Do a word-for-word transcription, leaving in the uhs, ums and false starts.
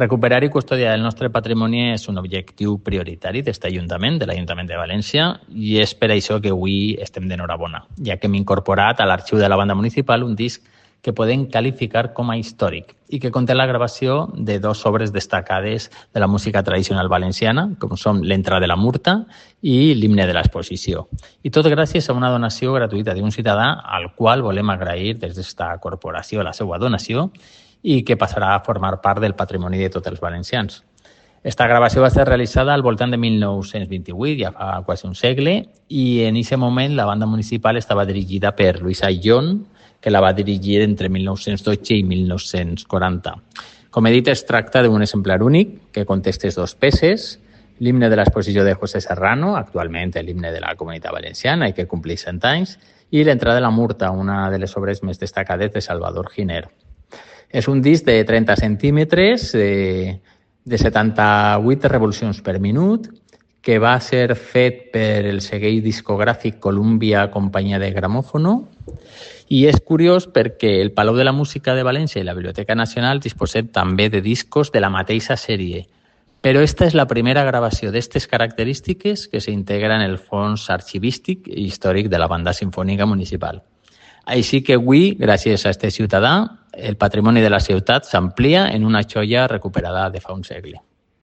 Recuperar i custodiar el nostre patrimoni és un objectiu prioritari d'aquest Ajuntament, de l'Ajuntament de València, i és per això que avui estem d'enhorabona, ja que hem incorporat a l'arxiu de la banda municipal un disc que podem qualificar com a històric i que conté la gravació de dues obres destacades de la música tradicional valenciana, com són l'Entrada de la Murta i l'Himne de l'Exposició. I tot gràcies a una donació gratuïta d'un ciutadà al qual volem agrair des d'esta corporació la seva donació i que passarà a formar part del patrimoni de tots els valencians. Esta gravació va ser realitzada al voltant de mil nou-cents vint-i-vuit, ja fa quasi un segle, i en aquest moment la banda municipal estava dirigida per Lluís Ayllón, que la va dirigir entre mil nou-cents dotze i mil nou-cents quaranta. Com he dit, es tracta d'un exemplar únic que conté aquestes dues peces, l'himne de l'exposició de José Serrano, actualment l'himne de la Comunitat Valenciana i que compleix cent anys, i l'Entrada de la Murta, una de les obres més destacades de Salvador Giner. És un disc de trenta centímetres, eh, de setanta-vuit revolucions per minut, que va ser fet per el segell discogràfic Columbia Companyia de Gramòfono, i és curiós perquè el Palau de la Música de València i la Biblioteca Nacional disposen també de discos de la mateixa sèrie, però esta és la primera gravació d'aquestes característiques que s'integra en el fons arxivístic i històric de la Banda Simfònica Municipal. Així que avui, gràcies a aquest ciutadà, el patrimoni de la ciutat s'amplia en una joia recuperada de fa un segle.